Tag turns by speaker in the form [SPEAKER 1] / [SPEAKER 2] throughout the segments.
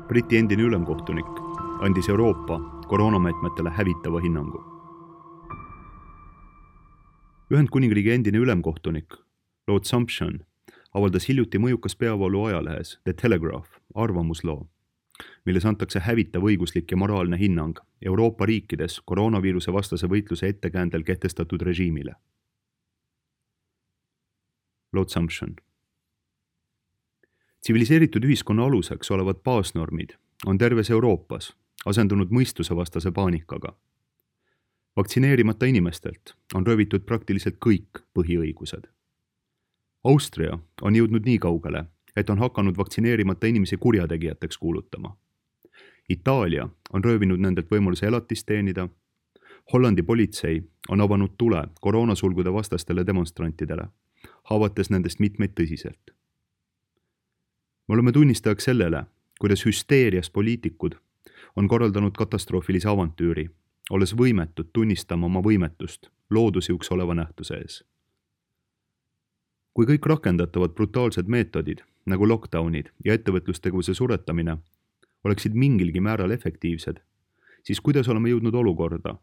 [SPEAKER 1] Briti endine ülemkohtunik andis Euroopa koroonameetmetele hävitava hinnangu. Ühendkuningriigi endine ülemkohtunik Lord Sumption avaldas hiljuti mõjukas peavoolu ajalehes The Telegraph arvamusloo, milles antakse hävitav õiguslik ja moraalne hinnang Euroopa riikides koroonaviiruse vastase võitluse ettekäändel kehtestatud režiimile. Lord Sumption. Tsiviliseeritud ühiskonna aluseks olevad baasnormid on terves Euroopas asendunud mõistusevastase paanikaga. Vaktsineerimata inimestelt on röövitud praktiliselt kõik põhiõigused. Austria on jõudnud nii kaugele, et on hakanud vaktsineerimata inimesi kurjategijateks kuulutama. Itaalia on röövinud nendelt võimaluse elatist teenida. Hollandi politsei on avanud tule koroonasulgude vastastele demonstrantidele, haavates nendest mitmeid tõsiselt. Me oleme tunnistajaks sellele, kuidas hüsteerias poliitikud on korraldanud katastroofilise avantüüri, olles võimetud tunnistama oma võimetust loodusjõuks oleva nähtuse ees. Kui kõik rakendatavad brutaalsed meetodid, nagu lockdownid ja ettevõtlustegevuse suretamine, oleksid mingilgi määral efektiivsed, siis kuidas oleme jõudnud olukorda,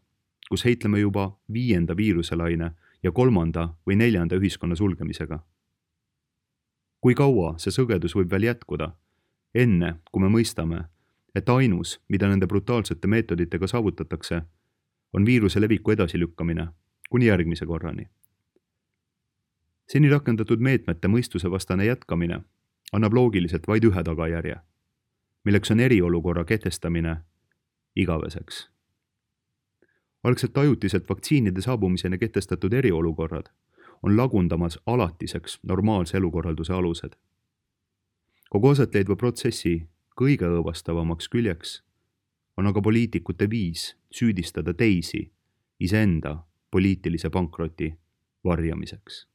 [SPEAKER 1] kus heitleme juba 5. viiruselaine ja 3. või 4. ühiskonna sulgemisega? Kui kaua see sõgedus võib veel jätkuda, enne kui me mõistame, et ainus, mida nende brutaalsete meetoditega saavutatakse, on viiruse leviku edasilükkamine kuni järgmise korrani. Seni rakendatud meetmete mõistusevastane jätkamine annab loogiliselt vaid ühe tagajärje, milleks on eriolukorra kehtestamine igaveseks. Algselt ajutiselt vaktsiinide saabumiseni kehtestatud eriolukorrad on lagundamas alatiseks normaalse elukorralduse alused. Kogu asetleidva protsessi kõige õõvastavamaks küljeks on aga poliitikute viis süüdistada teisi iseenda poliitilise pankroti varjamiseks.